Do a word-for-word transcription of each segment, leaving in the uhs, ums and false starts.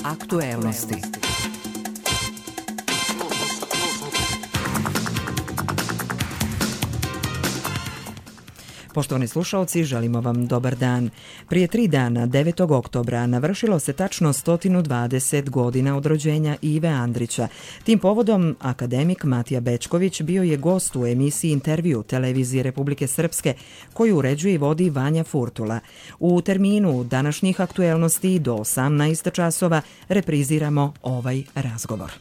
Aktuelnosti. Poštovani slušaoci, želimo vam dobar dan. Prije tri dana, devetog oktobra, navršilo se tačno sto dvadeset godina od rođenja Ive Andrića. Tim povodom, akademik Matija Bećković bio je gost u emisiji Intervju televizije Republike Srpske, koju uređuje i vodi Vanja Furtula. U terminu današnjih aktuelnosti do osamnaest časova repriziramo ovaj razgovor.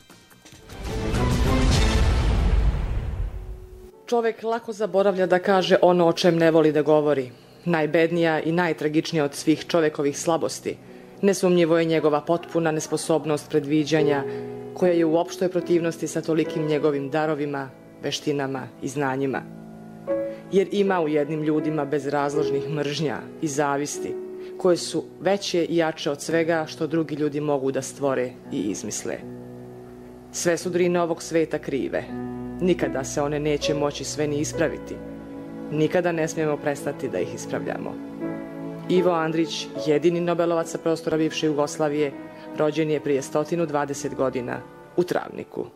Čovek lako zaboravlja da kaže ono o čem ne voli da govori. Najbednija i najtragičnija od svih čovekovih slabosti. Nesumnjivo je njegova potpuna nesposobnost predviđanja, koja je u opštoj protivnosti sa tolikim njegovim darovima, veštinama i znanjima. Jer ima u jednim ljudima bezrazložnih mržnja i zavisti, koje su veće i jače od svega što drugi ljudi mogu da stvore i izmisle. Sve su drine ovog sveta krive. Nikada se one neće moći sve ni ispraviti. Nikada ne smijemo prestati da ih ispravljamo. Ivo Andrić, jedini Nobelovac sa prostora bivše Jugoslavije, rođen je prije sto dvadeset godina u Travniku.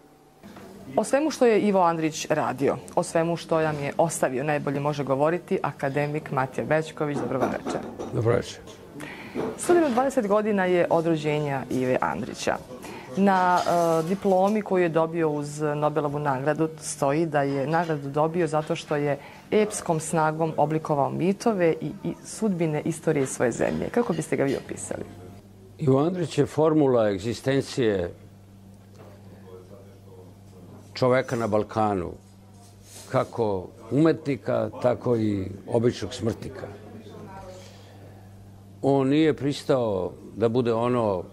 O svemu što je Ivo Andrić radio, o svemu što nam je ostavio, najbolje može govoriti akademik Matija Bećković. Dobro vam večer. Dobro večer. sto dvadeset godina je od rođenja Ive Andrića. Na uh, diplomi koju je dobio uz Nobelovu nagradu stoji da je nagradu dobio zato što je epskom snagom oblikovao mitove i, i sudbine istorije svoje zemlje. Kako biste ga vi opisali? Ivo Andrić je formula egzistencije čoveka na Balkanu, kako umetnika, tako i običnog smrtnika. On nije pristao da bude ono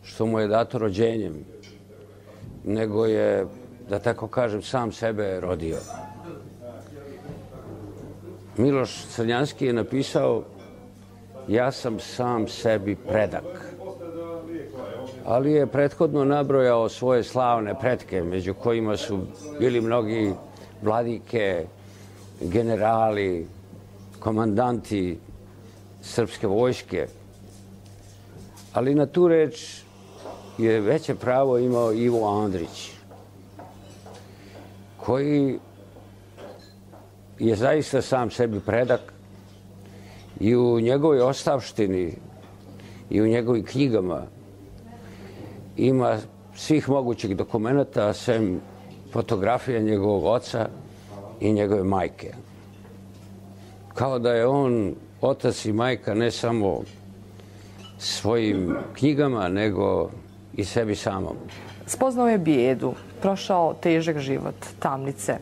što mu je dato rođenjem, nego je, da tako kažem, sam sebe rodio. Miloš Crnjanski je napisao: ja sam sam sebi predak. Ali je prethodno nabrojao svoje slavne pretke, među kojima su bili mnogi vladike, generali, komandanti srpske vojske. Ali na tu reč je veće pravo imao Ivo Andrić, koji je zaista sam sebi predak i u njegovoj ostavštini i u njegovim knjigama ima svih mogućih dokumenata, sem fotografija njegovog oca i njegove majke. Kao da je on otac i majka ne samo svojim knjigama, nego i sebi samom. Spoznao je bijedu, prošao težak život, tamnice. E,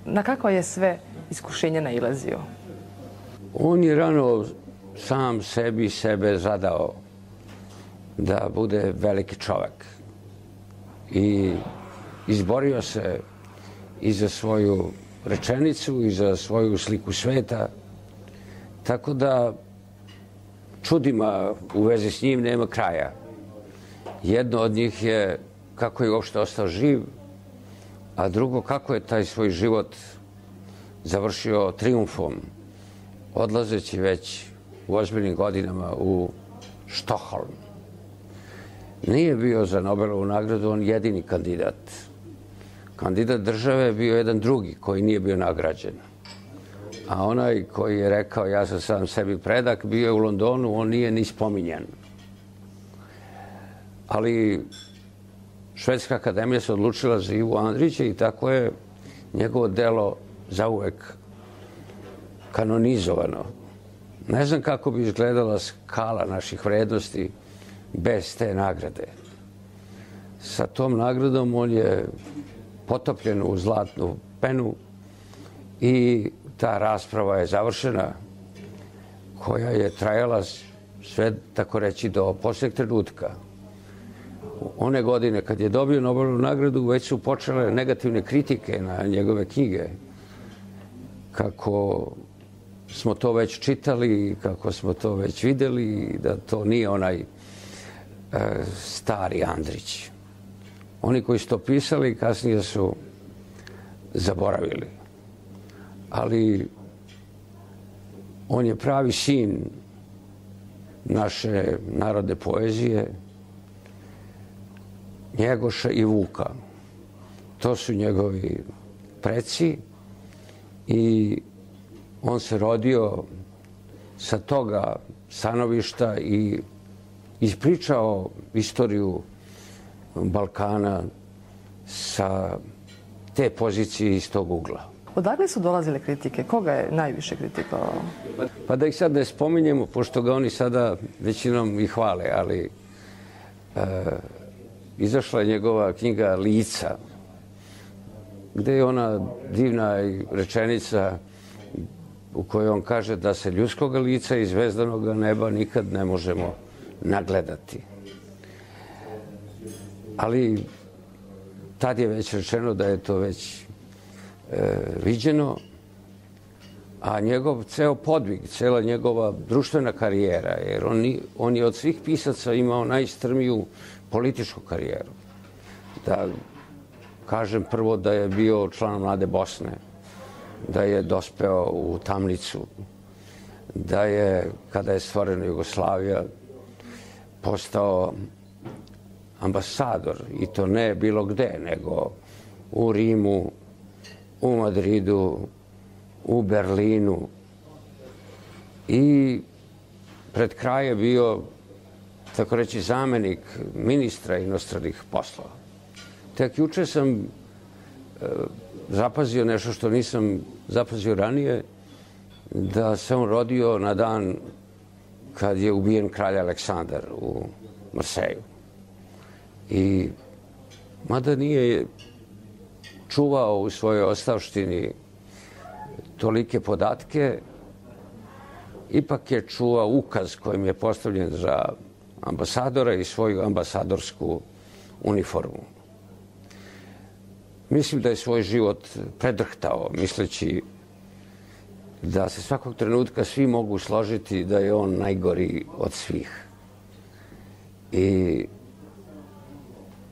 na kakva je sve iskušenja nailazio? On je rano sam sebi sebe zadao da bude veliki čovek. I izborio se i za svoju rečenicu i za svoju sliku sveta. Tako da čudima u vezi s njim nema kraja. Jedno od njih je kako je uopšte ostao živ, a drugo kako je taj svoj život završio trijumfom, odlazeći već u ozbiljnim godinama u Štokholm. Nije bio za Nobelovu nagradu on jedini kandidat. Kandidat države je bio jedan drugi koji nije bio nagrađen. A onaj koji je rekao ja sam sam sebi predak, bio je u Londonu, on nije ni spominjan. Ali Švedska akademija se odlučila za Ivu Andrića i tako je njegovo delo zauvek kanonizovano. Ne znam kako bi izgledala skala naših vrednosti bez te nagrade. Sa tom nagradom on je potopljen u zlatnu penu i ta rasprava je završena, koja je trajala sve, tako reći, do posljednjeg trenutka. One godine kad je dobio Nobelovu nagradu već su počele negativne kritike na njegove knjige. Kako smo to već čitali, kako smo to već vidjeli, da to nije onaj e, stari Andrić. Oni koji su to pisali kasnije su zaboravili. Ali on je pravi sin naše narodne poezije, Njegoša i Vuka. To su njegovi preci i on se rodio sa toga stanovišta i ispričao istoriju Balkana sa te pozicije iz tog ugla. Odakle su dolazile kritike? Koga je najviše kritikovao? Pa da ih sad ne spominjemo, pošto ga oni sada većinom i hvale, ali e, izašla je njegova knjiga Lica, gde je ona divna rečenica u kojoj on kaže da se ljudskog lica i zvezdanog neba nikad ne možemo nagledati. Ali tad je već rečeno da je to već e, viđeno, a njegov ceo podvig, cela njegova društvena karijera, jer on, on je od svih pisaca imao najstrmiju političku karijeru. Da kažem prvo da je bio član Mlade Bosne, da je dospeo u tamnicu, da je, kada je stvorena Jugoslavija, postao ambasador, i to ne bilo gde, nego u Rimu, u Madridu, u Berlinu. I pred kraj je bio, tako reći, zamenik ministra inostranih poslova. Tek juče sam e, zapazio nešto što nisam zapazio ranije, da se on rodio na dan kad je ubijen kralj Aleksandar u Marseju. I mada nije čuvao u svojoj ostavštini tolike podatke, ipak je čuvao ukaz kojim je postavljen za ambasadora i svoju ambasadorsku uniformu. Mislim da je svoj život predrhtao, misleći da se svakog trenutka svi mogu složiti da je on najgori od svih. I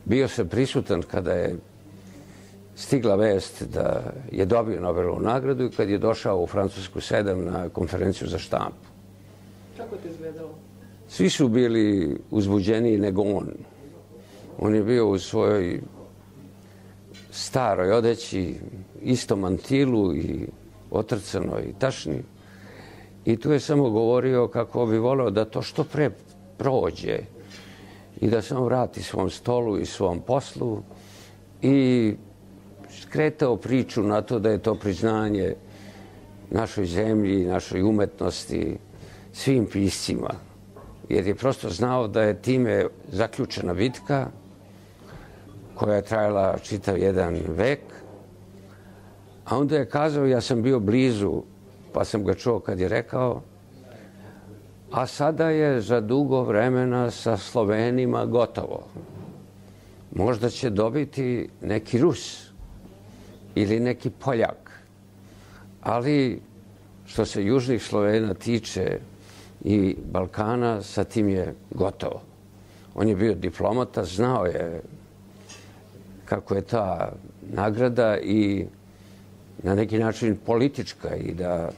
bio sam prisutan kada je stigla vest da je dobio Nobelovu nagradu i kad je došao u Francusku sedam na konferenciju za štampu. Kako je to izgledalo? Svi su bili uzbuđeniji nego on. On je bio u svojoj staroj odeći, istom mantilu i otrcanoj tašni. I tu je samo govorio kako bi voleo da to što pre prođe i da se on vrati svom stolu i svom poslu, i skretao priču na to da je to priznanje našoj zemlji, našoj umetnosti, svim piscima. Jer je prosto znao da je time zaključena bitka koja je trajala čitav jedan vek. A onda je kazao, ja sam bio blizu, pa sam ga čuo kad je rekao, a sada je za dugo vremena sa Slovenima gotovo. Možda će dobiti neki Rus ili neki Poljak. Ali što se južnih Slovena tiče i Balkana, sa tim je gotovo. On je bio diplomata, znao je kako je ta nagrada i na neki način politička, i da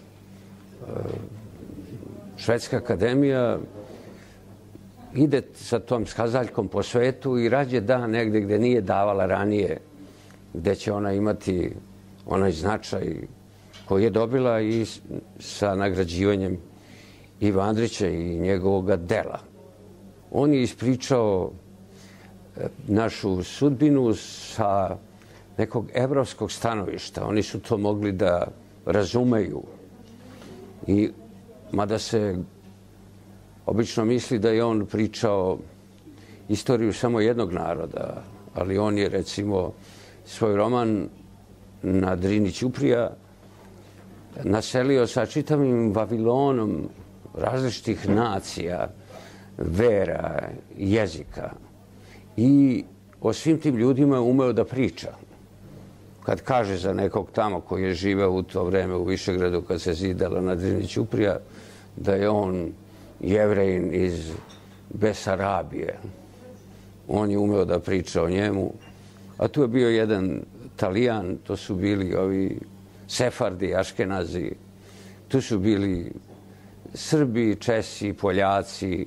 Švedska akademija ide sa tom skazaljkom po svetu i rađe da negde gde nije davala ranije, gde će ona imati onaj značaj koji je dobila i sa nagrađivanjem Iva Andrića i njegovog dela. On je ispričao našu sudbinu sa nekog evropskog stanovišta. Oni su to mogli da razumeju. I mada se obično misli da je on pričao istoriju samo jednog naroda, ali on je, recimo, svoj roman Na Drini Ćuprija naselio sa čitavim Vavilonom različitih nacija, vera, jezika. I o svim tim ljudima umeo da priča. Kad kaže za nekog tamo koji je živeo u to vreme u Višegradu kad se zidala Na Drini Ćuprija, da je on Jevrejin iz Besarabije. On je umeo da priča o njemu. A tu je bio jedan Talijan, to su bili ovi Sefardi, Aškenazi. Tu su bili Srbi, Česi, Poljaci,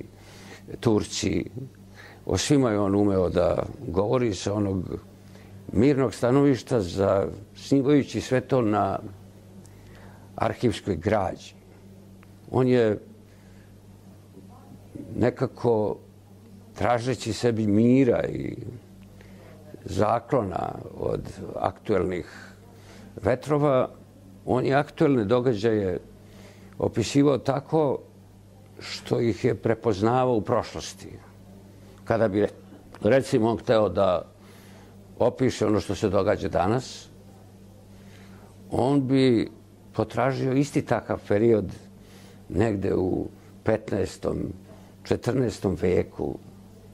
Turci, o svima je on umeo da govori sa onog mirnog stanovišta, zasnivajući sve to na arhivskoj građi. On je nekako, tražeći sebi mira i zaklona od aktuelnih vetrova, on je aktuelne događaje opisivao tako što ih je prepoznavao u prošlosti. Kada bi, recimo, on hteo da opiše ono što se događa danas, on bi potražio isti takav period negde u petnaestom, četrnaestom veku,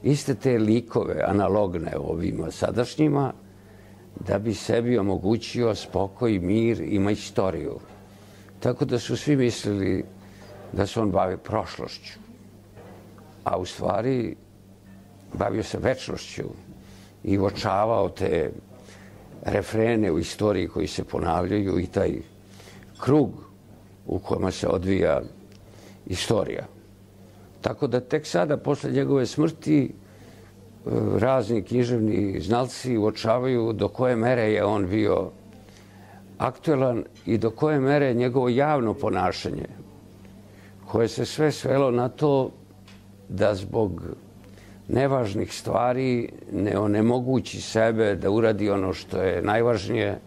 iste te likove analogne ovima sadašnjima, da bi sebi omogućio spokoj, mir i majstoriju. Tako da su svi mislili da se on bavi prošlošću, a u stvari bavio se večnošću i uočavao te refrene u istoriji koji se ponavljaju i taj krug u kojima se odvija istorija. Tako da tek sada, posle njegove smrti, razni književni znalci uočavaju do koje mere je on bio aktuelan i do koje mere je njegovo javno ponašanje, koje se sve svelo na to da zbog nevažnih stvari ne onemogući sebe da uradi ono što je najvažnije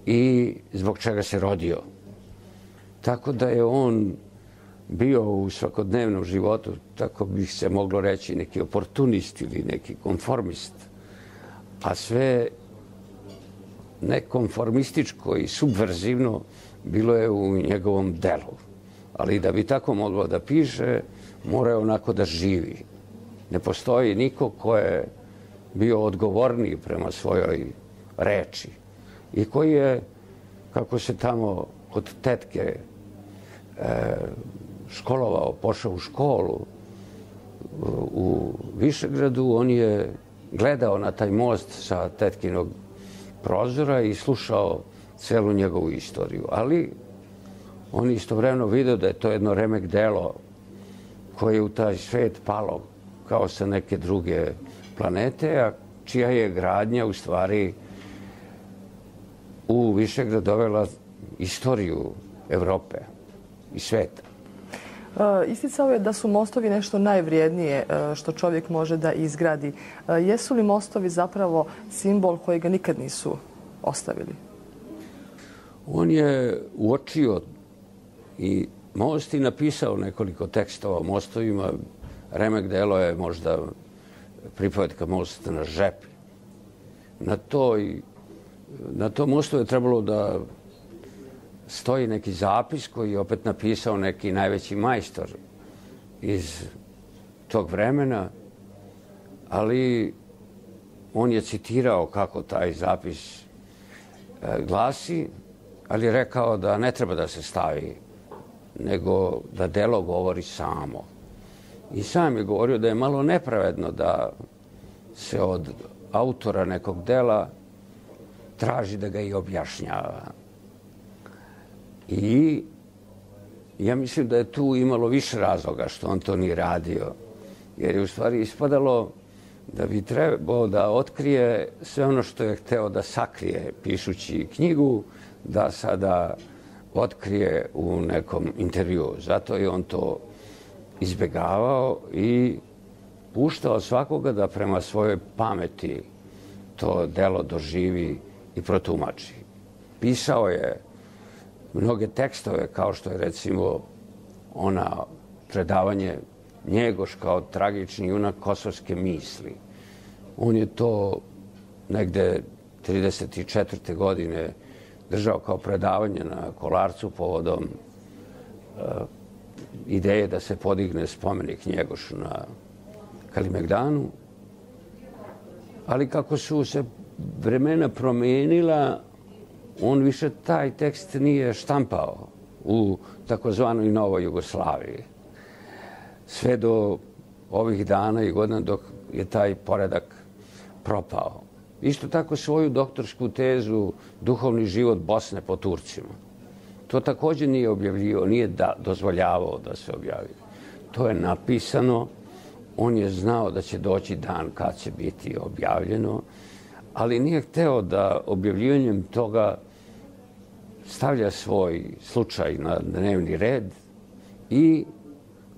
i zbog čega se rodio. Tako da je on bio u svakodnevnom životu, tako bi se moglo reći, neki oportunist ili neki konformist, a sve nekonformističko i subverzivno bilo je u njegovom delu. Ali da bi tako moglo da piše, mora je onako da živi. Ne postoji niko ko je bio odgovorniji prema svojoj reči i koji je, kako se tamo od tetke e, školovao, pošao u školu u Višegradu, on je gledao na taj most sa tetkinog prozora i slušao celu njegovu istoriju. Ali on istovremeno video da je to jedno remek delo koje je u taj svet palo kao sa neke druge planete, a čija je gradnja u stvari u Višegrad dovela istoriju Evrope i sveta. Isticao je da su mostovi nešto najvrijednije što čovjek može da izgradi. Jesu li mostovi zapravo simbol koji ga nikad nisu ostavili? On je uočio i most i napisao nekoliko tekstova o mostovima. Remek delo je možda pripovetka Most na žepi. Na toj, na tom mostu je trebalo da stoji neki zapis koji je opet napisao neki najveći majstor iz tog vremena, ali on je citirao kako taj zapis glasi, ali je rekao da ne treba da se stavi, nego da delo govori samo. I sam je govorio da je malo nepravedno da se od autora nekog dela traži da ga i objašnjava. I ja mislim da je tu imalo više razloga što on to nije radio, jer je u stvari ispadalo da bi trebao da otkrije sve ono što je hteo da sakrije pišući knjigu, da sada otkrije u nekom intervjuu. Zato je on to izbegavao i puštao svakoga da prema svojoj pameti to delo doživi i protumači. Pisao je mnoge tekstove, kao što je recimo ona predavanje Njegoš kao tragični junak kosovske misli. On je to negde trideset četvrte godine držao kao predavanje na Kolarcu povodom uh, ideje da se podigne spomenik Njegošu na Kalimegdanu. Ali kako su se vremena promenila, on više taj tekst nije štampao u takozvanoj Novoj Jugoslaviji. Sve do ovih dana i godina dok je taj poredak propao. Isto tako svoju doktorsku tezu Duhovni život Bosne po Turcima. to također nije objavljivao, nije da, dozvoljavao da se objavi. To je napisano, on je znao da će doći dan kad će biti objavljeno, ali nije hteo da objavljivanjem toga stavlja svoj slučaj na dnevni red i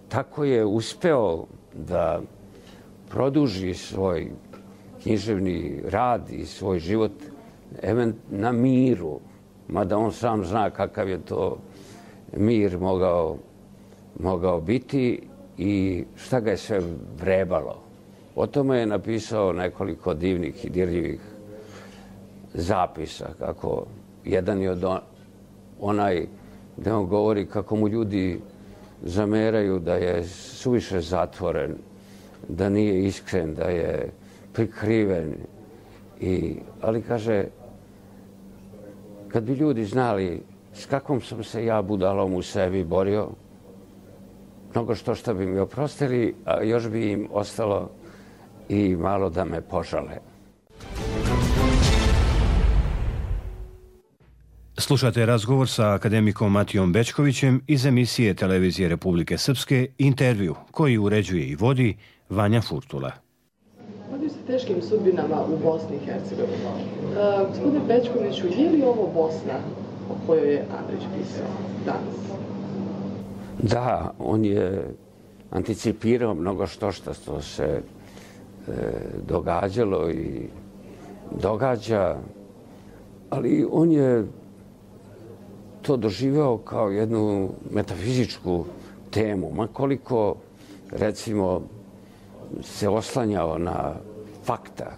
tako je uspeo da produži svoj književni rad i svoj život na miru, mada on sam zna kakav je to mir mogao, mogao biti i šta ga je sve vrebalo. O tome je napisao nekoliko divnih i dirljivih zapisa, kako jedan je od onaj gde on govori kako mu ljudi zameraju da je suviše zatvoren, da nije iskren, da je prikriven. I, ali kaže, kad bi ljudi znali s kakvom sam se ja budalom u sebi borio, mnogo što što bi mi oprostili, a još bi im ostalo i malo da me požale. Slušate razgovor sa akademikom Matijom Bećkovićem iz emisije Televizije Republike Srpske Intervju, koji uređuje i vodi Vanja Furtula. Radi se teškim sudbinama u Bosni i Hercegovini. Uh, gospodine Bećkoviću, je li ovo Bosna o kojoj je Andrić pisao danas? Da, on je anticipirao mnogo što što se e, događalo i događa, ali on je to doživeo kao jednu metafizičku temu, ma koliko, recimo, se oslanjao na fakta,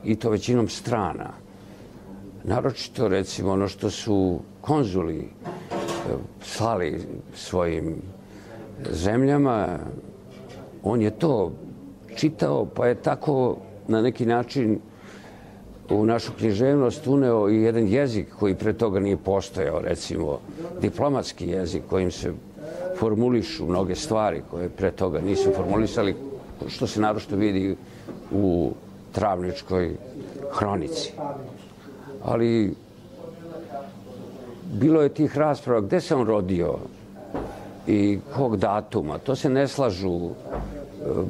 i to većinom strana. Naročito, recimo, ono što su konzuli slali svojim zemljama, on je to čitao, pa je tako na neki način u našu književnost uneo i jedan jezik koji pre toga nije postojao, recimo diplomatski jezik kojim se formulišu mnoge stvari koje pre toga nisu formulisali, što se naročito vidi u Travničkoj hronici. Ali bilo je tih rasprava gde se on rodio i kog datuma. To se ne slažu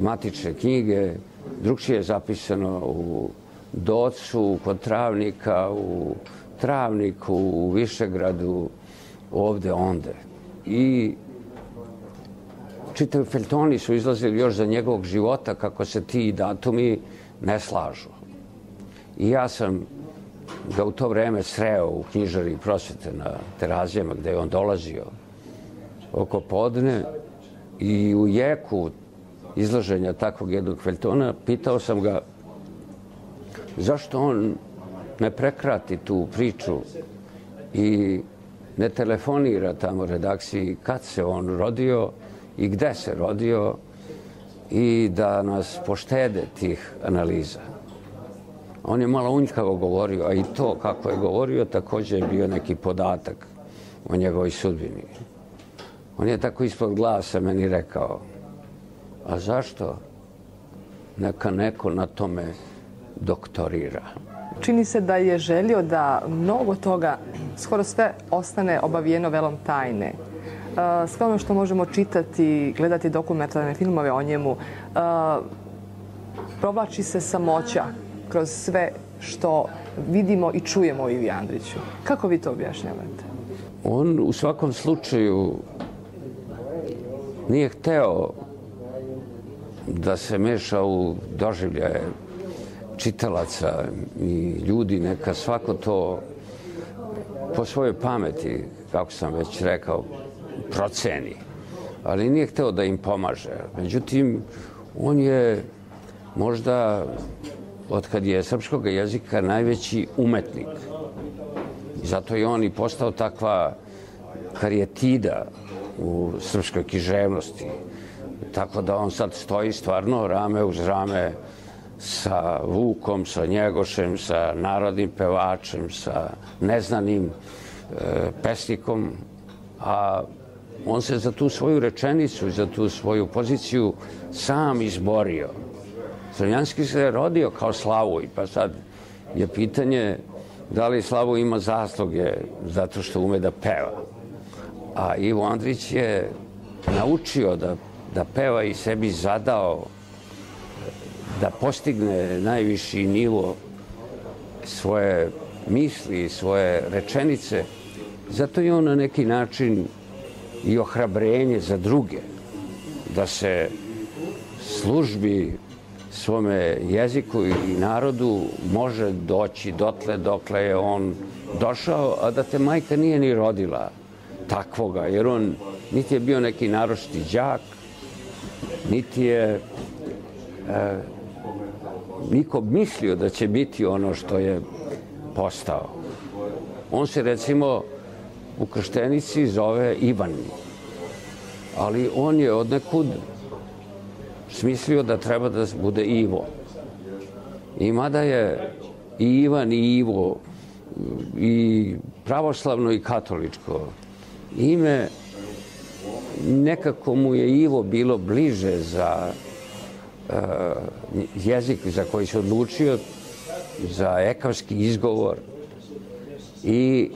matične knjige, drugčije je zapisano u Docu, kod Travnika, u Travniku, u Višegradu, ovde, onde. I čitavi feljtoni su izlazili još za njegovog života kako se ti datumi ne slažu. I ja sam ga u to vreme sreo u knjižari Prosvete na Terazijama gde je on dolazio oko podne i u jeku izlaženja takvog jednog feljtona pitao sam ga zašto on ne prekrati tu priču i ne telefonira tamo redakciji kad se on rodio i gde se rodio i da nas poštede tih analiza. On je malo unjkavo govorio, a i to kako je govorio također je bio neki podatak o njegovoj sudbini. On je tako ispod glasa meni rekao, a zašto neka neko na tome doktorira? Čini se da je želio da mnogo toga, skoro sve, ostane obavijeno velom tajne. Sve ono što možemo čitati, gledati dokumentarne filmove o njemu, provlači se samoća kroz sve što vidimo i čujemo o Ivi Andriću. Kako vi to objašnjavate? On u svakom slučaju nije hteo da se meša u doživljaje čitalaca i ljudi, neka svako to po svojoj pameti, kako sam već rekao, proceni. Ali nije hteo da im pomaže. Međutim, on je možda od kad je srpskog jezika najveći umetnik. I zato je on i postao takva karijetida u srpskoj književnosti. Tako da on sad stoji stvarno rame uz rame sa Vukom, sa Njegošem, sa narodnim pevačem, sa neznanim e, pesnikom, a on se za tu svoju rečenicu, za tu svoju poziciju sam izborio. Crnjanski se rodio kao Slavoj, pa sad je pitanje da li Slavoj ima zasluge zato što ume da peva. A Ivo Andrić je naučio da, da peva i sebi zadao da postigne najviši nivo svoje misli, svoje rečenice. Zato je on na neki način i ohrabrenje za druge, da se službi svome jeziku i narodu može doći dotle dokle je on došao, a da te majka nije ni rodila takvoga, jer on niti je bio neki naročiti đak, niti je e, niko mislio da će biti ono što je postao. On se recimo u krštenici zove Ivan, ali on je odnekud smislio da treba da bude Ivo. I mada je i Ivan i Ivo i pravoslavno i katoličko ime, nekako mu je Ivo bilo bliže za uh, jezik za koji se odlučio, za ekavski izgovor. I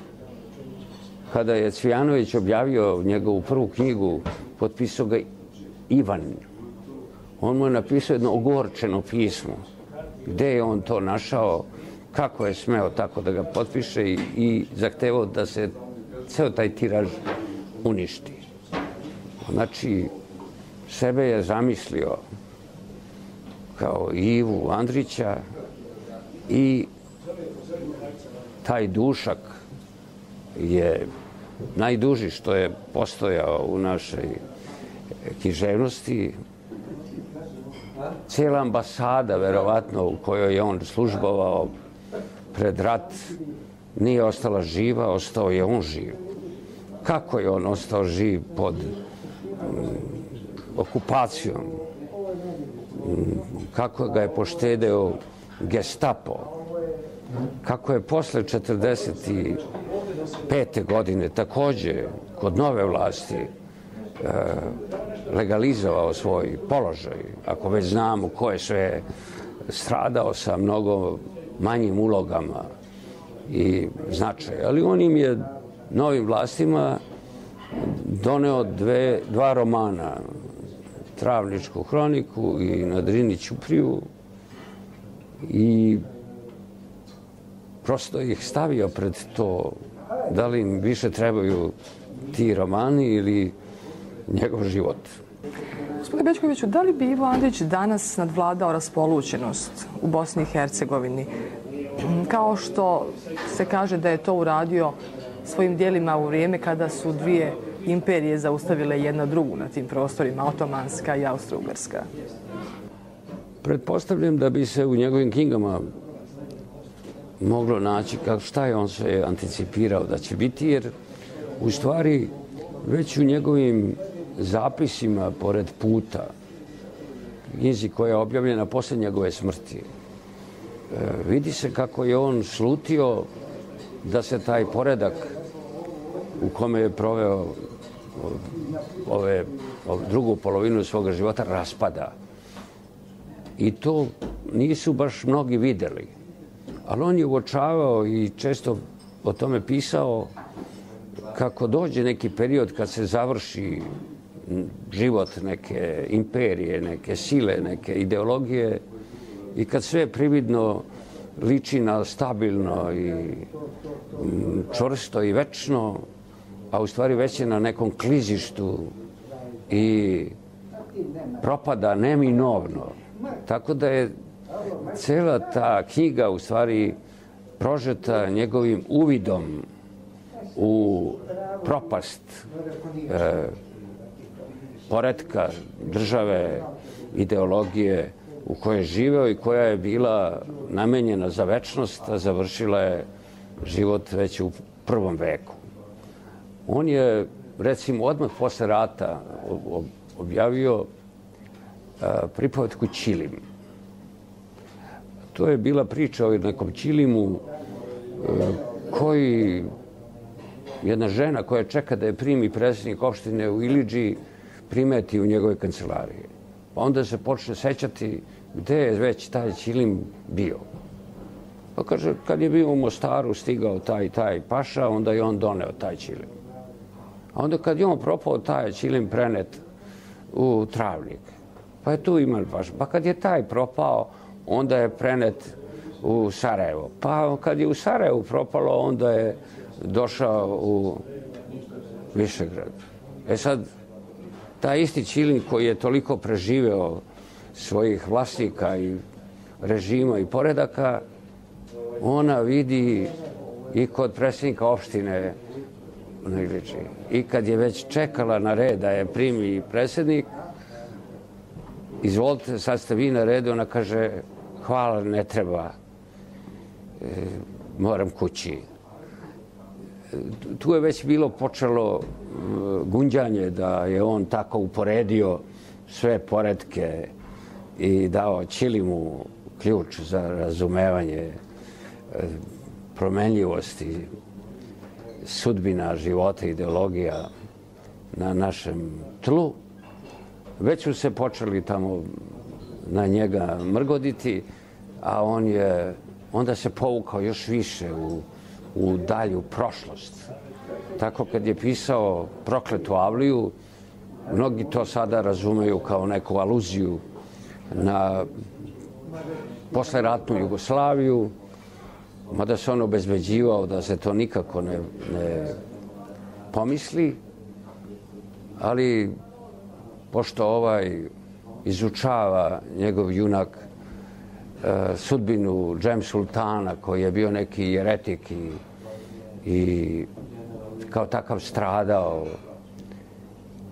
kada je Cvijanović objavio njegovu prvu knjigu, potpisao ga Ivan. On mu je napisao jedno ogorčeno pismo. Gde je on to našao, kako je smeo tako da ga potpiše i, i zahtevao da se ceo taj tiraž uništi. Znači, sebe je zamislio kao Ivu Andrića i taj dušak je najduži što je postojao u našoj književnosti. Cijela ambasada, verovatno, u kojoj je on službovao pred rat, nije ostala živa, ostao je on živ. Kako je on ostao živ pod um, okupacijom? Um, kako ga je poštedeo Gestapo? Kako je posle četrdeset pete godine takođe kod nove vlasti uh, legalizovao svoj položaj, ako već znamo ko je sve stradao sa mnogo manjim ulogama i značaja. Ali on im je novim vlastima doneo dve, dva romana, Travničku hroniku i Na Drini ćupriju, i prosto ih stavio pred to da li im više trebaju ti romani ili njegov život. Gospodine Bećkoviću, da li bi Ivo Andrić danas nadvladao raspolućenost u Bosni i Hercegovini, kao što se kaže da je to uradio svojim dijelima u vrijeme kada su dvije imperije zaustavile jedna drugu na tim prostorima, otomanska i austro-ugarska? Pretpostavljam da bi se u njegovim knjigama moglo naći kako šta je on sve anticipirao da će biti, jer u stvari već u njegovim zapisima pored puta, knjizi koja je objavljena posle njegove smrti, vidi se kako je on slutio da se taj poredak u kome je proveo ove, ove drugu polovinu svoga života raspada. I to nisu baš mnogi videli. Ali on je uočavao i često o tome pisao kako dođe neki period kad se završi život neke imperije, neke sile, neke ideologije i kad sve prividno liči na stabilno i čvrsto i večno, a u stvari već je na nekom klizištu i propada neminovno. Tako da je cela ta knjiga u stvari prožeta njegovim uvidom u propast e, poretka države, ideologije u kojoj je živeo i koja je bila namenjena za večnost, a završila je život već u prvom veku. On je, recimo, odmah posle rata objavio pripovetku Ćilim. To je bila priča o nekom Ćilimu koji, jedna žena koja čeka da je primi predsjednik opštine u Ilidži, primeti u njegove kancelarije. Pa onda se počne sećati gde je već taj Ćilim bio. Pa kaže, kad je bio u Mostaru, stigao taj taj paša, onda je on doneo taj Ćilim. A onda kad je on propao, taj Ćilim prenet u Travnik. Pa je tu imali baš. Pa kad je taj propao, onda je prenet u Sarajevo. Pa kad je u Sarajevu propalo, onda je došao u Višegrad. E sad, taj isti Ćilim koji je toliko preživeo svojih vlasnika i režima i poredaka, ona vidi i kod predsjednika opštine i kad je već čekala na red da je primi predsjednik, izvolite, sad ste vi na redu, ona kaže, hvala, ne treba, e, moram kući. Tu je već bilo počelo gunđanje da je on tako uporedio sve poretke i dao Ćilimu ključ za razumevanje promenljivosti sudbina, života, ideologija na našem tlu. Već su se počeli tamo na njega mrgoditi, a on je onda se povukao još više u, u dalju prošlost. Tako kad je pisao Prokletu Avliju, mnogi to sada razumeju kao neku aluziju na posleratnu Jugoslaviju, mada se on obezbeđivao da se to nikako ne, ne pomisli, ali pošto ovaj izučava njegov junak e, sudbinu Džem Sultana, koji je bio neki jeretik i, i kao takav stradao,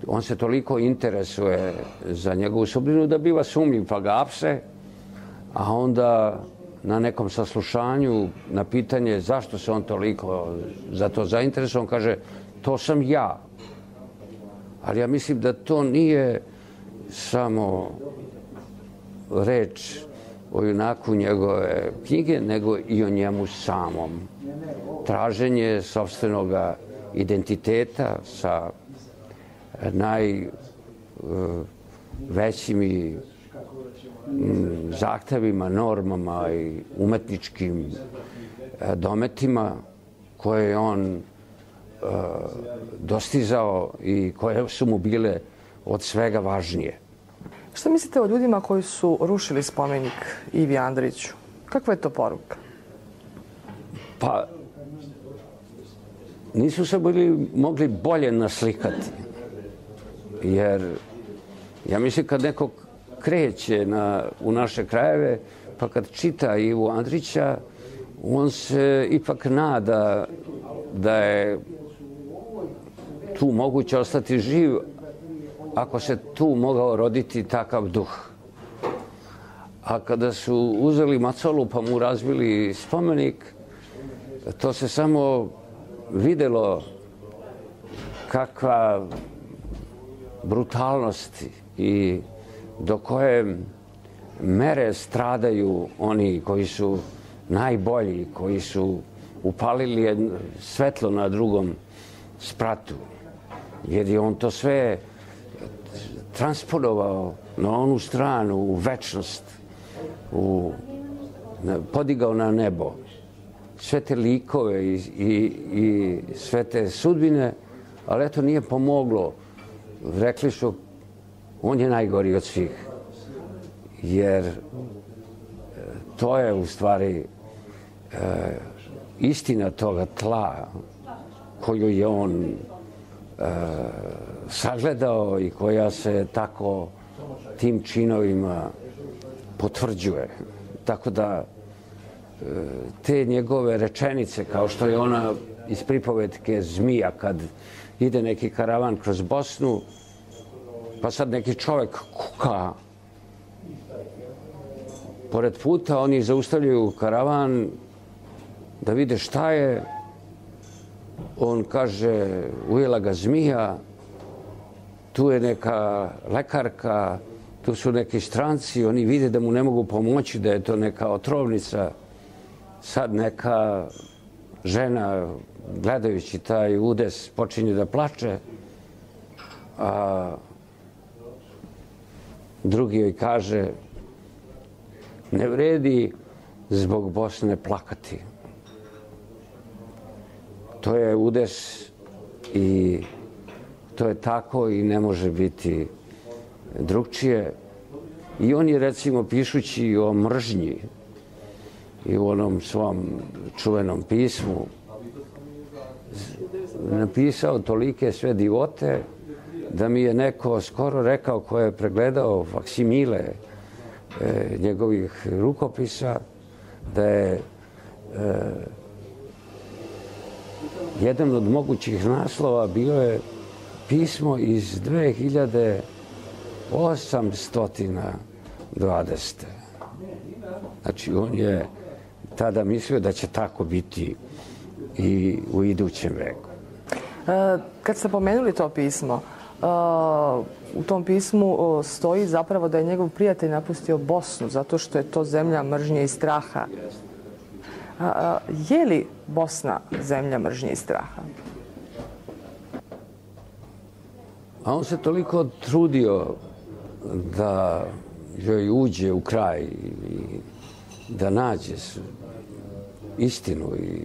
on se toliko interesuje za njegovu sudbinu da biva sumnjiv, pa ga apse, a onda na nekom saslušanju na pitanje zašto se on toliko za to zainteresuje, on kaže, to sam ja. Ali ja mislim da to nije samo reč o junaku njegove knjige, nego i o njemu samom. Traženje sopstvenog identiteta sa najvećim i zahtevima, normama i umetničkim dometima koje je on dostizao i koje su mu bile od svega važnije. Šta mislite o ljudima koji su rušili spomenik Ivi Andriću? Kakva je to poruka? Pa, nisu se bili mogli bolje naslikati. Jer, ja mislim, kad neko kreće na, u naše krajeve, pa kad čita Ivu Andrića, on se ipak nada da je tu moguće ostati živ ako se tu mogao roditi takav duh. A kada su uzeli macolu pa mu razbili spomenik, to se samo videlo kakva brutalnost i do koje mere stradaju oni koji su najbolji, koji su upalili svetlo na drugom spratu. Jer je on to sve transponovao na onu stranu, u večnost, u, podigao na nebo. Sve te likove i, i, i sve te sudbine, ali eto nije pomoglo. Rekli su, on je najgori od svih. Jer to je u stvari e, istina toga tla koju je on e, sagledao i koja se tako tim činovima potvrđuje. Tako da e, te njegove rečenice, kao što je ona iz pripovetke Zmija, kad ide neki karavan kroz Bosnu, pa sad neki čovjek kuka pored puta, oni zaustavljaju karavan da vide šta je. On kaže, ujela ga zmija, tu je neka lekarka, tu su neki stranci, oni vide da mu ne mogu pomoći, da je to neka otrovnica. Sad neka žena, gledajući taj udes, počinje da plače, a drugi joj kaže, ne vredi zbog Bosne plakati. To je udes i To je tako i ne može biti drugčije. I on je, recimo, pišući o mržnji i u onom svom čuvenom pismu napisao tolike sve divote da mi je neko skoro rekao, ko je pregledao faksimile e, njegovih rukopisa, da je e, jedan od mogućih naslova bio je pismo iz dve hiljade osamsto dvadesete. Znači, on je tada mislio da će tako biti i u idućem veku. E, kad ste pomenuli to pismo, e, u tom pismu stoji zapravo da je njegov prijatelj napustio Bosnu zato što je to zemlja mržnje i straha. A, a, je li Bosna zemlja mržnje i straha? A on se toliko trudio da joj uđe u kraj i da nađe istinu i,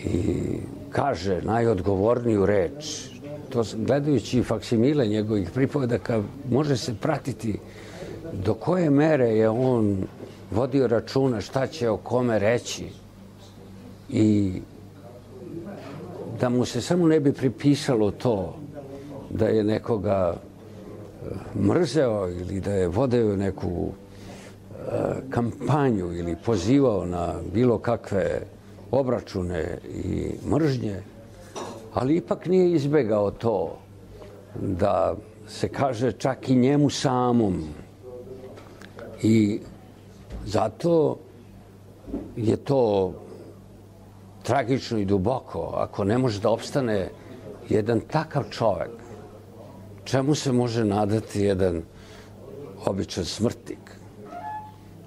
i kaže najodgovorniju reč. To, gledajući faksimile njegovih pripovedaka, može se pratiti do koje mere je on vodio računa šta će o kome reći i da mu se samo ne bi pripisalo to da je nekoga mrzeo ili da je vodio neku uh, kampanju ili pozivao na bilo kakve obračune i mržnje, ali ipak nije izbegao to da se kaže čak i njemu samom. I zato je to tragično i duboko ako ne može da opstane jedan takav čovek. Čemu se može nadati jedan običan smrtnik?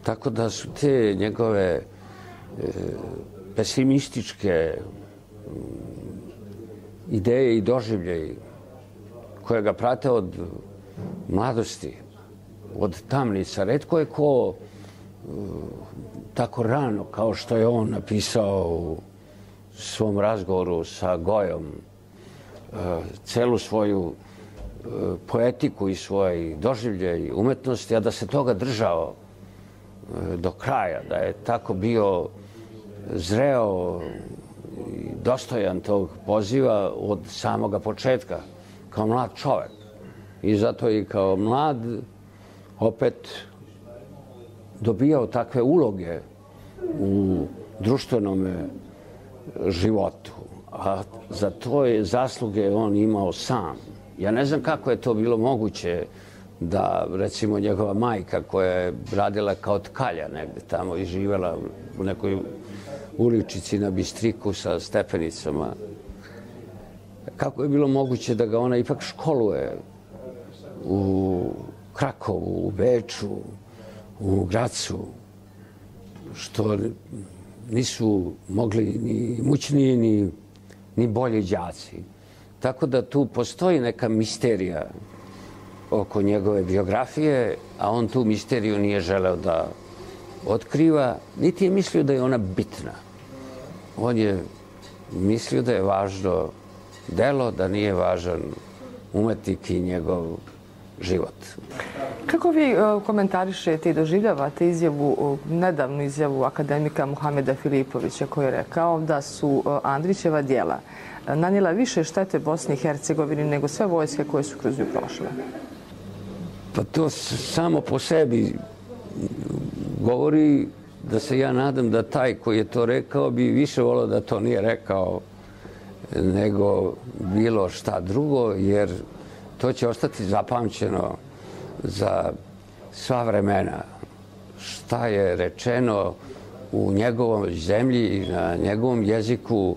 Tako da su te njegove e, pesimističke ideje i doživljaji koje ga prate od mladosti, od tamnica. Retko je ko e, tako rano, kao što je on napisao u svom razgovoru sa Gojom, e, celu svoju poetiku i svoj doživljaj umetnosti, a da se toga držao do kraja, da je tako bio zreo i dostojan tog poziva od samoga početka, kao mlad čovek. I zato i kao mlad opet dobijao takve uloge u društvenom životu. A za to je zasluge on imao sam. Ja ne znam kako je to bilo moguće da, recimo, njegova majka koja je radila kao tkalja negde tamo i živela u nekoj uličici na Bistriku sa stepenicama, kako je bilo moguće da ga ona ipak školuje u Krakovu, u Beču, u Gracu, što nisu mogli ni imućniji ni, ni bolji đaci. Tako da tu postoji neka misterija oko njegove biografije, a on tu misteriju nije želeo da otkriva, niti je mislio da je ona bitna. On je mislio da je važno delo, da nije važan umetnik i njegov život. Kako vi komentarišete i doživljavate izjavu, nedavnu izjavu akademika Muhameda Filipovića, koji je rekao da su Andrićeva djela nanijela više štete Bosni i Hercegovini nego sve vojske koje su kroz nju prošle? Pa to samo po sebi govori da se ja nadam da taj koji je to rekao bi više volio da to nije rekao nego bilo šta drugo, jer to će ostati zapamćeno za sva vremena. Šta je rečeno u njegovom zemlji i na njegovom jeziku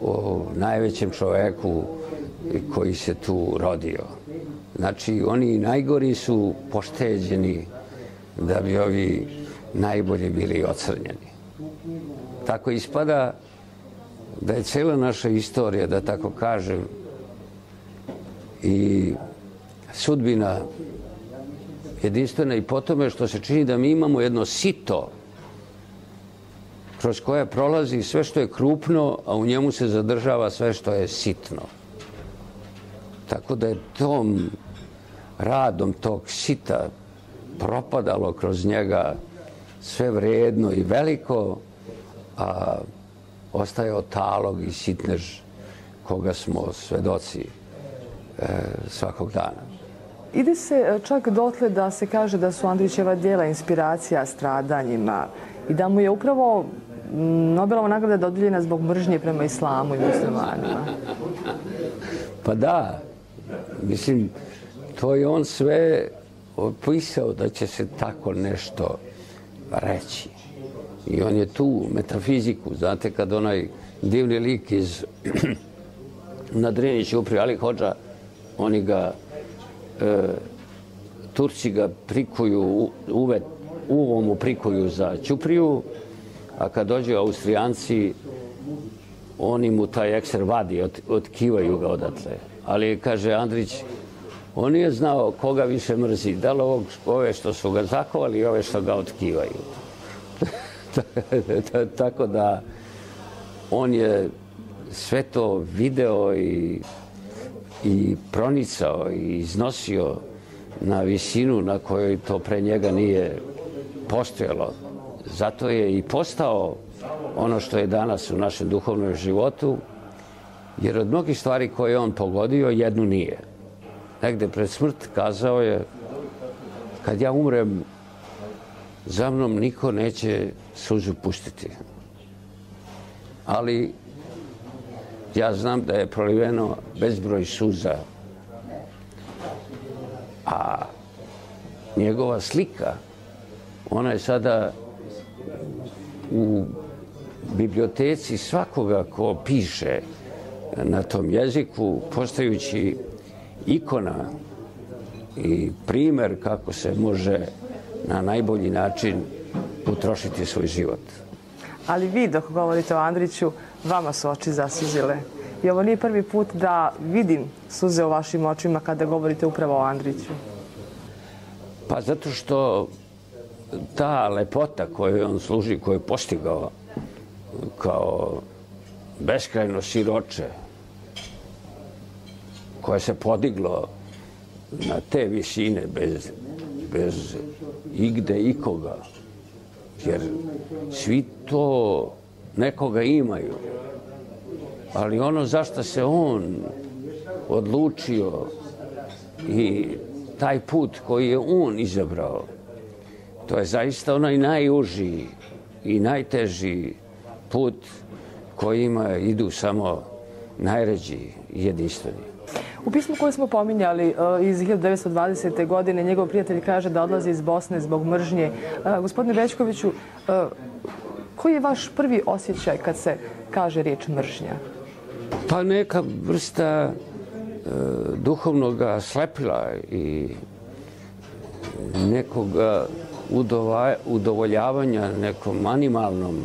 o najvećem čoveku koji se tu rodio. Znači, oni najgori su pošteđeni da bi ovi najbolji bili ocrnjeni. Tako ispada da je cijela naša istorija, da tako kažem, i sudbina jedinstvena i po tome što se čini da mi imamo jedno sito kroz koje prolazi sve što je krupno, a u njemu se zadržava sve što je sitno. Tako da je tom radom tog sita propadalo kroz njega sve vrijedno i veliko, a ostajao talog i sitnež koga smo svedoci e, svakog dana. Ide se čak dotle da se kaže da su Andrićeva djela inspiracija stradanjima i da mu je upravo Nobelova nagrada dodijeljena zbog mržnje prema islamu i muslimanima. Pa da, mislim, to je on sve opisao da će se tako nešto reći. I on je tu metafiziku, znate, kad onaj divni lik iz na Drenić upri Ali Hodža, oni ga, e, Turci ga prikuju, uvet, uvom mu prikuju za ćupriju, a kad dođu Austrijanci, oni mu taj ekser vadi, od, otkivaju ga odatle. Ali, kaže Andrić, on nije znao koga više mrzi, da li ovog, ove što su ga zakovali i ove što ga otkivaju. Tako da on je sve to video i, i pronicao i iznosio na visinu na kojoj to pre njega nije postojalo. Zato je i postao ono što je danas u našem duhovnom životu, jer od mnogih stvari koje je on pogodio, jednu nije. Negde pred smrt kazao je, kad ja umrem, za mnom niko neće suzu pustiti. Ali ja znam da je proliveno bezbroj suza, a njegova slika, ona je sada u biblioteci svakoga ko piše na tom jeziku, postajući ikona i primer kako se može na najbolji način utrošiti svoj život. Ali vi, dok govorite o Andriću, vama su oči zasuzile. I ovo nije prvi put da vidim suze u vašim očima kada govorite upravo o Andriću. Pa zato što ta lepota koju on služi, koju je postigao kao beskrajno siroče, koje se podiglo na te visine bez, bez igde ikoga, jer svi to nekoga imaju. Ali ono zašto se on odlučio i taj put koji je on izabrao, to je zaista onaj najuži i najteži put kojima idu samo najređi i jedinstveni. U pismu koje smo pominjali iz hiljadu devetsto dvadesete. godine, njegov prijatelj kaže da odlazi iz Bosne zbog mržnje. Gospodine Bećkoviću, koji je vaš prvi osjećaj kad se kaže riječ mržnja? Pa neka vrsta e, duhovnog slepila i nekog udova, udovoljavanja nekom animalnom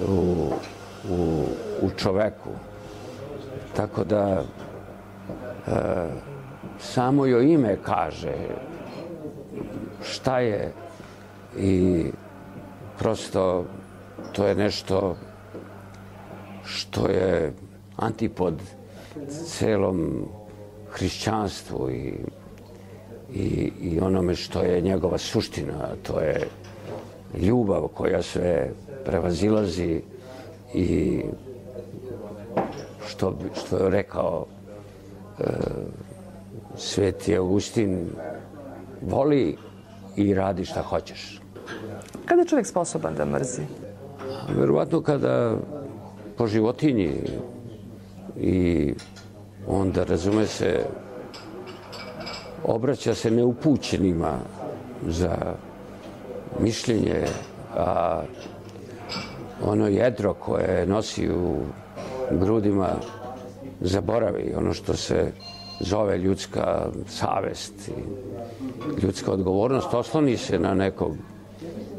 u, u, u čoveku. Tako da e, samo joj ime kaže šta je i prosto to je nešto što je antipod celom hrišćanstvu i, i, i onome što je njegova suština. To je ljubav koja sve prevazilazi i što, što je rekao e, Sveti Augustin, voli i radi šta hoćeš. Kada je čovjek sposoban da mrzi? Verovatno kada po životinji i onda, razume se, obraća se neupućenima za mišljenje, a ono jedro koje nosi u grudima zaboravi, ono što se zove ljudska savest i ljudska odgovornost, osloni se na nekog,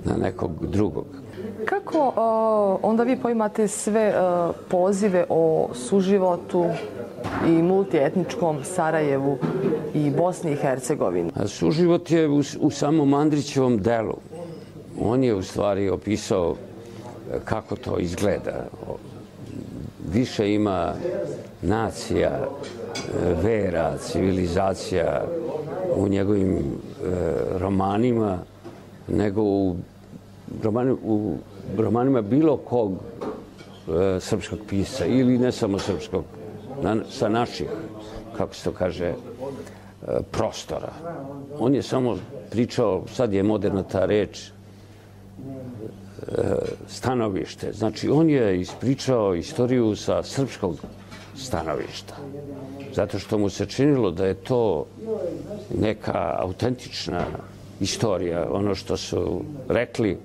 na nekog drugog. Kako uh, onda vi poimate sve uh, pozive o suživotu i multietničkom Sarajevu i Bosni i Hercegovini? A suživot je u, u samom Andrićevom delu. On je u stvari opisao kako to izgleda. Više ima nacija vera, civilizacija u njegovim e, romanima, nego u, romani, u romanima bilo kog e, srpskog pisca, ili ne samo srpskog, na, sa naših, kako se to kaže, e, prostora. On je samo pričao, sad je moderna ta reč, e, stanovište. Znači, on je ispričao istoriju sa srpskog stanovišta. Zato što mu se činilo da je to neka autentična istorija, ono što su rekli,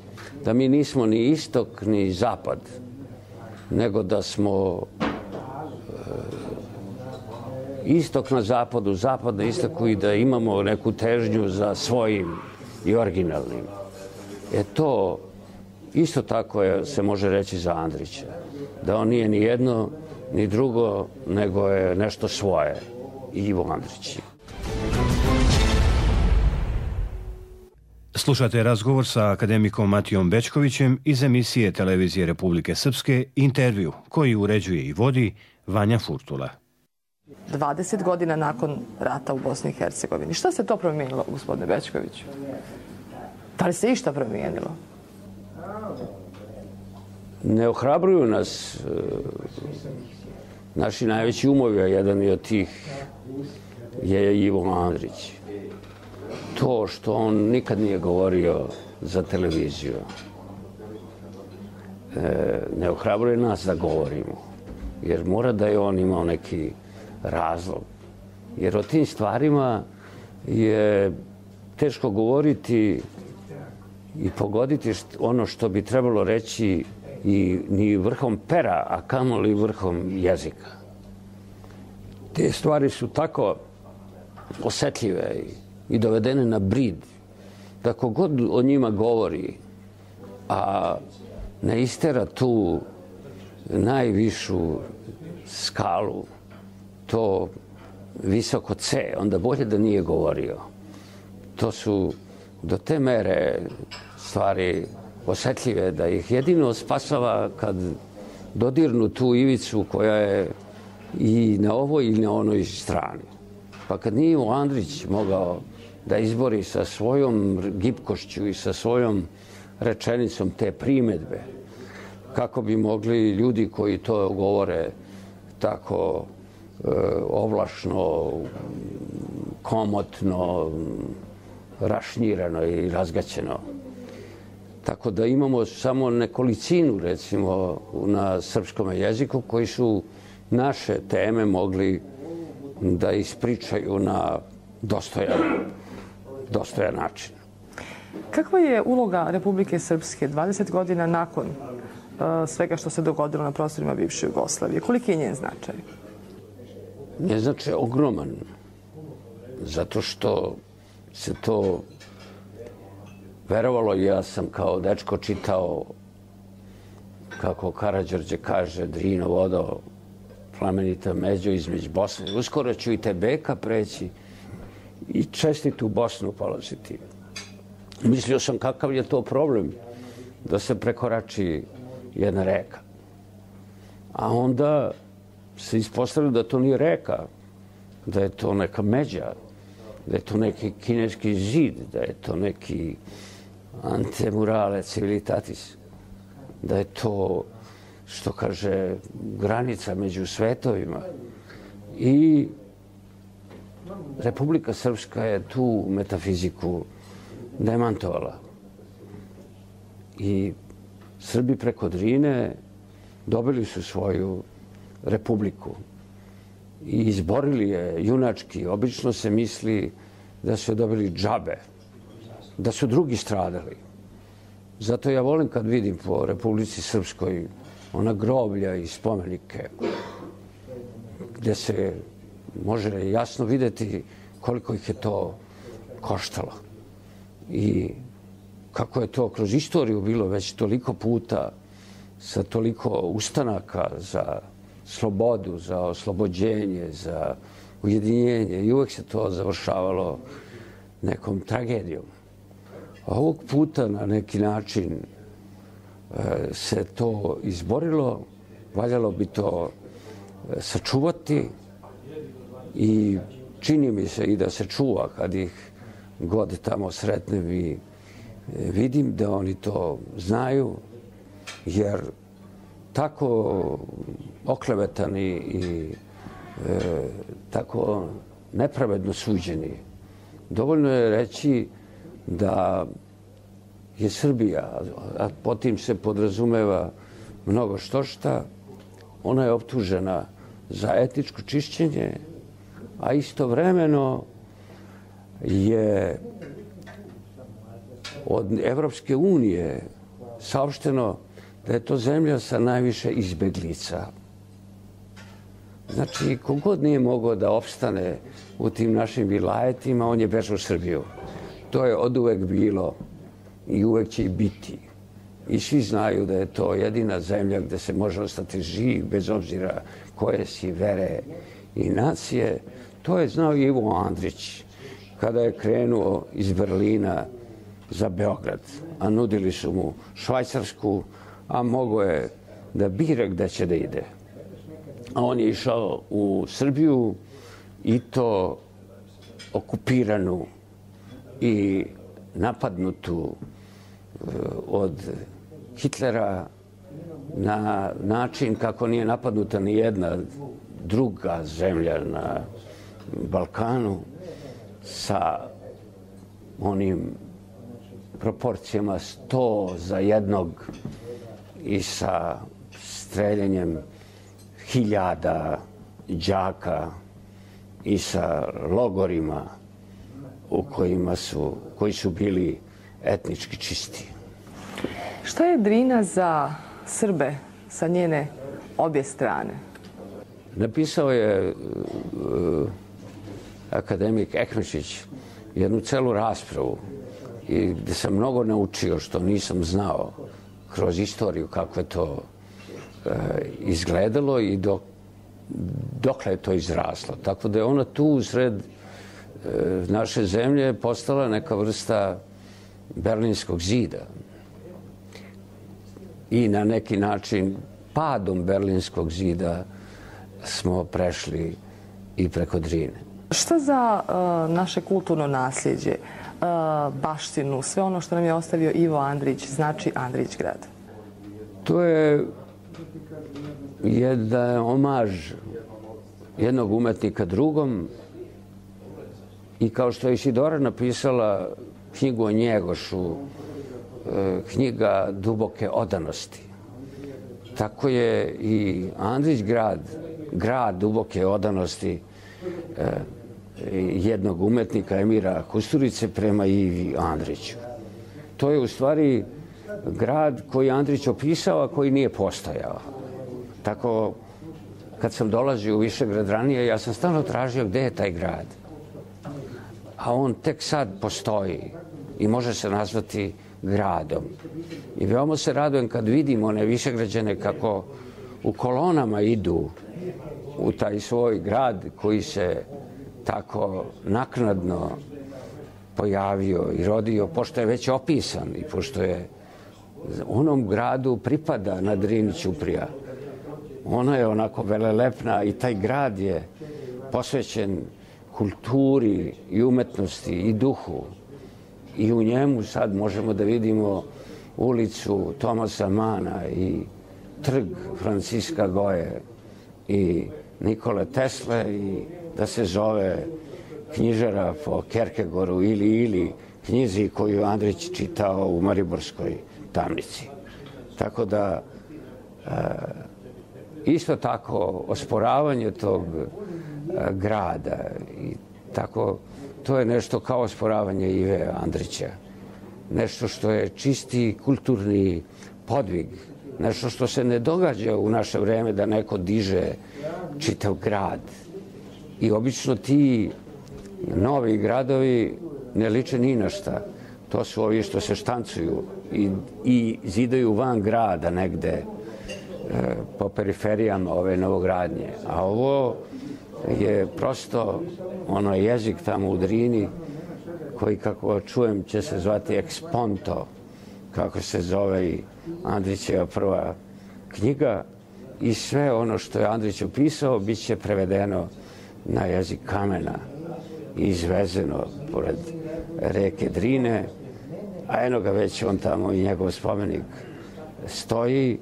da mi nismo ni istok ni zapad, nego da smo e, istok na zapadu, zapad na istoku i da imamo neku težnju za svojim i originalnim. E to isto tako je, se može reći za Andrića, da on nije ni jedno ni drugo, nego je nešto svoje. Ivo Andrić. Slušate razgovor sa akademikom Matijom Bečkovićem iz emisije Televizije Republike Srpske Intervju, koji uređuje i vodi Vanja Furtula. dvadeset godina nakon rata u Bosni i Hercegovini. Šta se to promijenilo, gospodine Bečkoviću? Da li se išta promijenilo? Ne ohrabruju nas naši najveći umovi, a jedan je od tih je Ivo Andrić. To što on nikad nije govorio za televiziju, ne ohrabruje nas da govorimo, jer mora da je on imao neki razlog. Jer o tim stvarima je teško govoriti i pogoditi ono što bi trebalo reći i ni vrhom pera, a kamoli vrhom jezika. Te stvari su tako osetljive i dovedene na brid, da kogod o njima govori, a ne istera tu najvišu skalu, to visoko C, onda bolje da nije govorio. To su do te mere stvari osetljive da ih jedino spasava kad dodirnu tu ivicu koja je i na ovoj i na onoj strani. Pa kad nije Ivo Andrić mogao da izbori sa svojom gibkošću i sa svojom rečenicom te primedbe, kako bi mogli ljudi koji to govore tako e, ovlašno, komotno, rašnirano i razgaćeno. Tako da imamo samo nekolicinu, recimo, na srpskom jeziku koji su naše teme mogli da ispričaju na dostojan, dostojan način. Kakva je uloga Republike Srpske dvadeset godina nakon uh, svega što se dogodilo na prostorima bivše Jugoslavije? Koliki je njen značaj? Njen značaj je ogroman, zato što se to verovalo. Ja sam kao dečko čitao, kako Karađorđe kaže, Drino vodo, plamenita međo između Bosne. Uskoro ću i Tebeka preći i čestitu Bosnu položiti. Mislio sam kakav je to problem da se prekorači jedna reka. A onda se ispostavilo da to nije reka, da je to neka međa, da je to neki kineski zid, da je to neki antemurale civilitatis, da je to, što kaže, granica među svetovima. I Republika Srpska je tu metafiziku demantovala. I Srbi preko Drine dobili su svoju republiku i izborili je junački. Obično se misli da su dobili džabe, da su drugi stradali. Zato ja volim kad vidim po Republici Srpskoj ona groblja i spomenike gdje se može jasno vidjeti koliko ih je to koštalo i kako je to kroz istoriju bilo već toliko puta sa toliko ustanaka za slobodu, za oslobođenje, za ujedinjenje i uvek se to završavalo nekom tragedijom. A ovog puta na neki način se to izborilo, valjalo bi to sačuvati i čini mi se i da se čuva kad ih god tamo sretnem i vidim da oni to znaju, jer tako oklevetani i e, tako nepravedno suđeni. Dovoljno je reći da je Srbija, a po tim se podrazumeva mnogo što šta, ona je optužena za etničko čišćenje, a istovremeno je od Evropske unije saopšteno da je to zemlja sa najviše izbeglica. Znači, kogod nije mogao da opstane u tim našim vilajetima, on je bežao u Srbiju. To je oduvek bilo i uvek će i biti. I svi znaju da je to jedina zemlja gde se može ostati živ, bez obzira koje si vere i nacije. To je znao i Ivo Andrić kada je krenuo iz Berlina za Beograd, a nudili su mu Švajcarsku, a mogao je da bira gde će da ide. A on je išao u Srbiju i to okupiranu i napadnutu od Hitlera na način kako nije napadnuta ni jedna druga zemlja na Balkanu, sa onim proporcijama sto za jednog i sa streljanjem hiljada đaka i sa logorima u kojima su, koji su bili etnički čisti. Šta je Drina za Srbe sa njene obje strane? Napisao je uh, akademik Ekmešić jednu celu raspravu i gde sam mnogo naučio što nisam znao kroz istoriju kako je to uh, izgledalo i dok, dokle je to izraslo. Tako da je ona tu usred uh, naše zemlje postala neka vrsta Berlinskog zida. I na neki način padom Berlinskog zida smo prešli i preko Drine. Šta za uh, naše kulturno nasljeđe, uh, baštinu, sve ono što nam je ostavio Ivo Andrić, znači Andrićgrad? To je jedan omaž jednog umetnika drugom i kao što je Isidora napisala knjigu o Njegošu, knjiga duboke odanosti. Tako je i Andrićgrad, grad duboke odanosti jednog umetnika, Emira Kusturice, prema Ivi Andriću. To je u stvari grad koji Andrić opisao, a koji nije postojao. Tako, kad sam dolazio u Višegrad ranije, ja sam stalno tražio gde je taj grad. A on tek sad postoji i može se nazvati gradom. I veoma se radujem kad vidim one Višegrađane kako u kolonama idu u taj svoj grad koji se tako naknadno pojavio i rodio, pošto je već opisan i pošto je onom gradu pripada na Drini ćuprija. Ona je onako velelepna i taj grad je posvećen kulturi i umetnosti i duhu. I u njemu sad možemo da vidimo ulicu Tomasa Mana i trg Franciska Goje i Nikole Tesle i da se zove knjižara po Kjerkegoru ili ili knjizi koju Andrić čitao u Mariborskoj tamnici. Tako da e, isto tako osporavanje tog e, grada i tako to je nešto kao osporavanje Ive Andrića. Nešto što je čisti kulturni podvig. Nešto što se ne događa u naše vreme da neko diže čitav grad. I obično ti novi gradovi ne liče ni na šta. To su ovi što se štancuju i, i zidaju van grada negde e, po periferijama ove novogradnje. A ovo je prosto ono jezik tamo u Drini koji, kako čujem, će se zvati Eksponto, kako se zove i Andrićeva prva knjiga, i sve ono što je Andrić opisao bit će prevedeno na jezik kamena i izvezeno pored reke Drine, a eno ga već on tamo i njegov spomenik stoji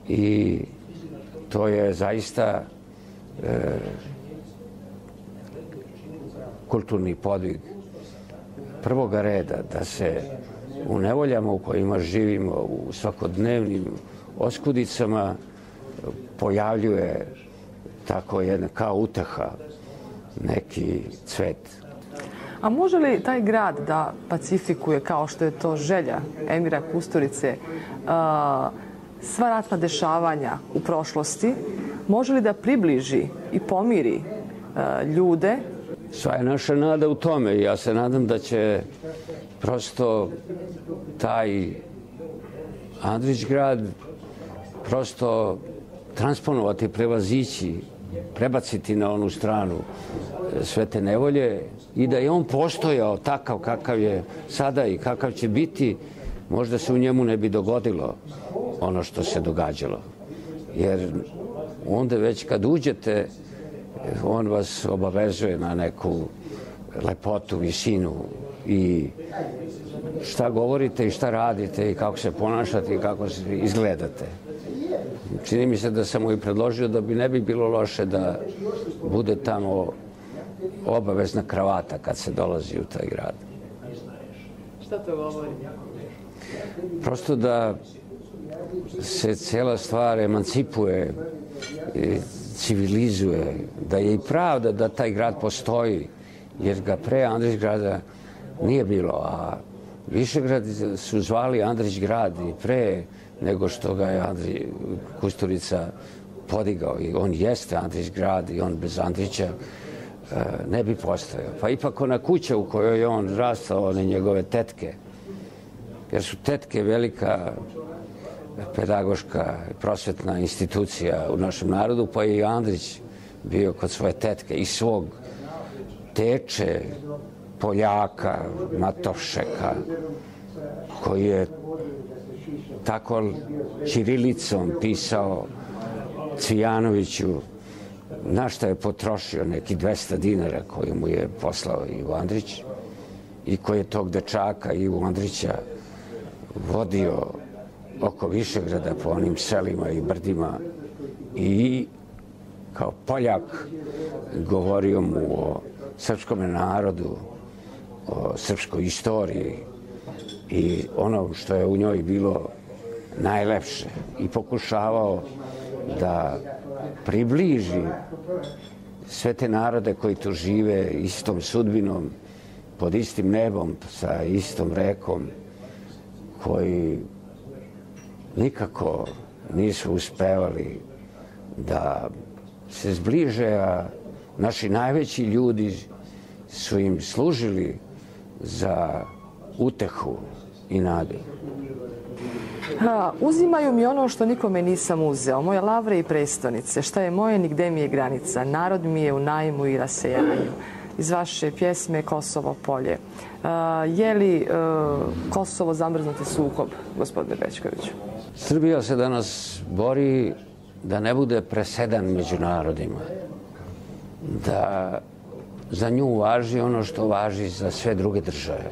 i to je zaista e, kulturni podvig prvoga reda da se u nevoljama u kojima živimo, u svakodnevnim oskudicama pojavljuje tako jedna kao uteha, neki cvet. A može li taj grad da pacifikuje, kao što je to želja Emira Kusturice, sva ratna dešavanja u prošlosti? Može li da približi i pomiri ljude? Sva je naša nada u tome. Ja se nadam da će prosto taj Andrićgrad prosto transponovati, prevazići, prebaciti na onu stranu sve te nevolje i da je on postojao takav kakav je sada i kakav će biti, možda se u njemu ne bi dogodilo ono što se događalo. Jer onda već kad uđete, on vas obavezuje na neku lepotu, visinu i šta govorite i šta radite i kako se ponašate i kako se izgledate. Čini mi se da sam mu i predložio da bi ne bi bilo loše da bude tamo obavezna kravata kad se dolazi u taj grad. Šta to govori? Prosto da se cijela stvar emancipuje, civilizuje, da je i pravda da taj grad postoji, jer ga pre Andrićgrada nije bilo, a Višegrad su zvali Andrićgrad i pre nego što ga je Andrij Kusturica podigao. I on jeste Andrićgrad i on bez Andrića ne bi postojao. Pa ipak ona kuća u kojoj je on rastao, one njegove tetke, jer su tetke velika pedagoška, prosvetna institucija u našem narodu, pa je i Andrić bio kod svoje tetke i svog teče, Poljaka, Matovšeka, koji je tako ćirilicom pisao Cvijanoviću na šta je potrošio neki dvesta dinara koji mu je poslao Ivo Andrić i koji je tog dečaka Ivo Andrića vodio oko Višegrada po onim selima i brdima i kao Poljak govorio mu o srpskom narodu, o srpskoj istoriji i ono što je u njoj bilo najlepše i pokušavao da približi sve te narode koji tu žive istom sudbinom, pod istim nebom, sa istom rekom, koji nikako nisu uspevali da se zbliže, a naši najveći ljudi su im služili za utehu i nadu. Ha, uzimaju mi ono što nikome nisam uzeo, moje lavre i prestonice, šta je moje, nigde mi je granica, narod mi je u najmu i rasejanju. Iz vaše pjesme Kosovo polje. A, je li a, Kosovo zamrznuti sukob, gospodine Bećkoviću? Srbija se danas bori da ne bude presedan među narodima, da za nju važi ono što važi za sve druge države,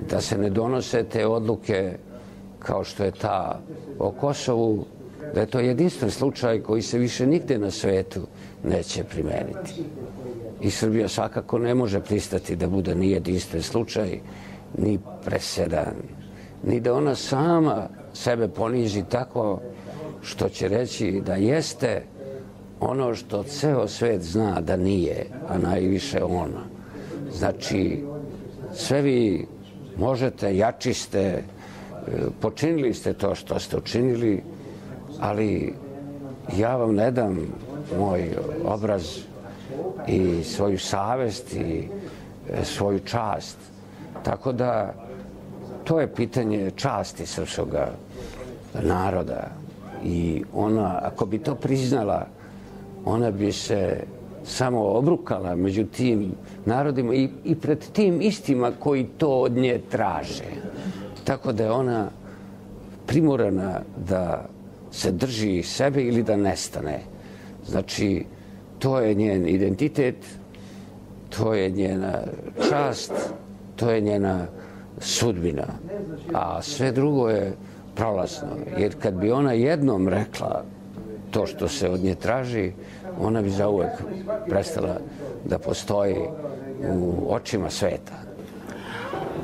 da se ne donose te odluke kao što je ta o Kosovu, da je to jedinstven slučaj koji se više nigde na svetu neće primeniti. I Srbija svakako ne može pristati da bude ni jedinstven slučaj, ni presedan, ni da ona sama sebe poniži tako što će reći da jeste ono što ceo svet zna da nije, a najviše ona. Znači, sve vi možete, jači ste, počinili ste to što ste učinili, ali ja vam ne dam moj obraz i svoju savest i svoju čast. Tako da to je pitanje časti srpskog naroda i ona, ako bi to priznala, ona bi se samo obrukala među tim narodima i, i pred tim istima koji to od nje traže. Tako da je ona primorana da se drži sebe ili da nestane. Znači, To je njen identitet, to je njena čast, to je njena sudbina. A sve drugo je prolazno. Jer kad bi ona jednom rekla to što se od nje traži, ona bi zauvek prestala da postoji u očima sveta.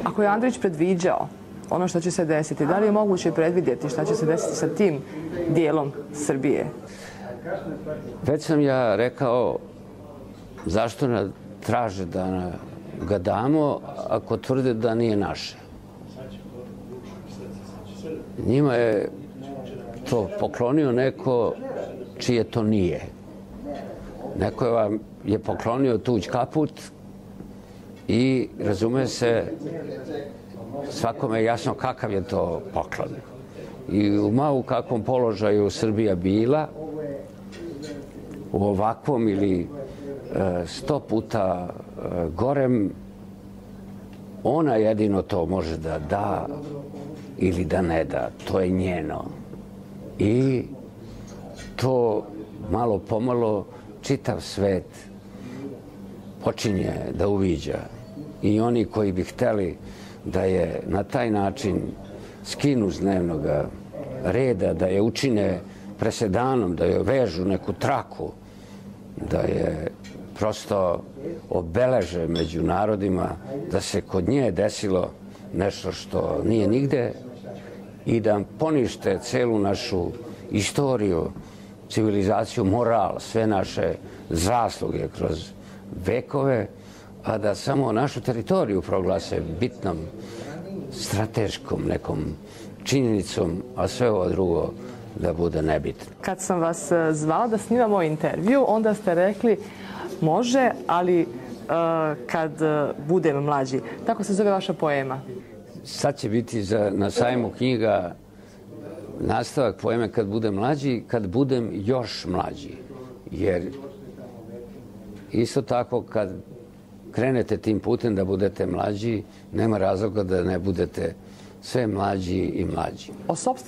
Ako je Andrić predviđao ono što će se desiti, da li je moguće predvidjeti šta će se desiti sa tim dijelom Srbije? Već sam ja rekao zašto nam traže da ga damo ako tvrde da nije naše. Njima je to poklonio neko čije to nije. Neko je vam je poklonio tuđ kaput i razume se svakome je jasno kakav je to poklon. I u malo kakvom položaju Srbija bila, u ovakvom ili sto puta gorem, ona jedino to može da da ili da ne da. To je njeno. I to malo pomalo čitav svet počinje da uviđa. I oni koji bi hteli da je na taj način skinu s dnevnog reda, da je učine presedanom, da je vežu neku traku, da je prosto obeleže među narodima, da se kod nje desilo nešto što nije nigde i da ponište celu našu istoriju, civilizaciju, moral, sve naše zasluge kroz vekove, a da samo našu teritoriju proglase bitnom, strateškom nekom činjenicom, a sve ovo drugo da bude nebitno. Kad sam vas zvala da snimamo intervju, onda ste rekli može, ali uh, kad budem mlađi. Tako se zove vaša poema. Sad će biti za, na sajmu knjiga nastavak poeme Kad budem mlađi, kad budem još mlađi. Jer isto tako kad krenete tim putem da budete mlađi, nema razloga da ne budete sve mlađi i mlađi. O sopstvenom